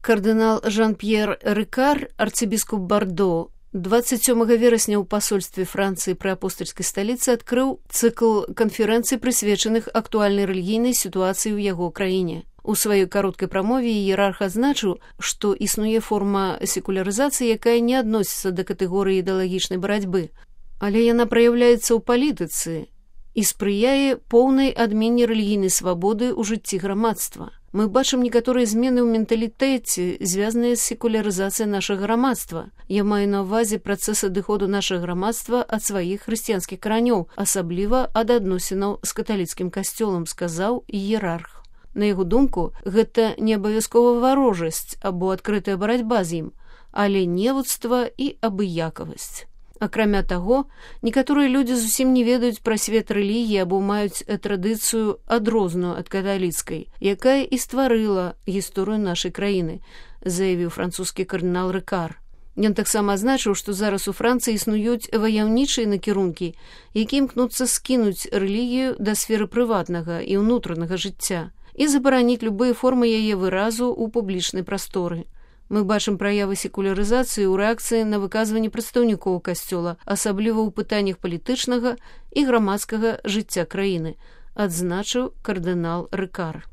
Кардынал Жан-П'ер Рикар, арцыбіскуп Бардо, 27 верасня ў пасольстве Францыі пры апостальскай сталіцы адкрыў цыкл канферэнцый, прысвечаных актуальнай рэлігійнай сітуацыі ў яго краіне. У сваёй кароткай прамове іерарх адзначыў, што існуе форма секулярызацыі, якая не адносіцца да катэгорыі ідэалагічнай барацьбы, але яна праяўляецца ў палітыцы і спрыяе поўнай адмене рэлігійнай свабоды ў жыцці грамадства. Мы бачым некаторыя змены ў менталітэце, звязаныя з секулярызацыяй нашага грамадства. Я маю на ўвазе працэс адыходу нашага грамадства ад сваіх хрысціянскіх каранёў, асабліва ад адносінаў з каталіцкім касцёлам, сказаў іерарх. На яго думку, гэта не абавязкова варожасць або адкрытая барацьба з ім, але невуцтва і абыякавасць. Акрамя таго, некаторыя людзі зусім не ведаюць пра свет рэлігіі або маюць традыцыю адрозную ад каталіцкай, якая і стварыла гісторыю нашай краіны, заявіў французскі кардынал Рикар. Ён таксама азначыў, што зараз у Францыі існуюць ваяўнічыя накірункі, які імкнуцца скінуць рэлігію да сферы прыватнага і ўнутранага жыцця і забараніць любыя формы яе выразу ў публічнай прасторы. Мы бачым праявы секулярызацыі ў рэакцыі на выказванні прадстаўнікоў касцёла, асабліва ў пытаннях палітычнага і грамадскага жыцця краіны, адзначыў кардынал Рикар.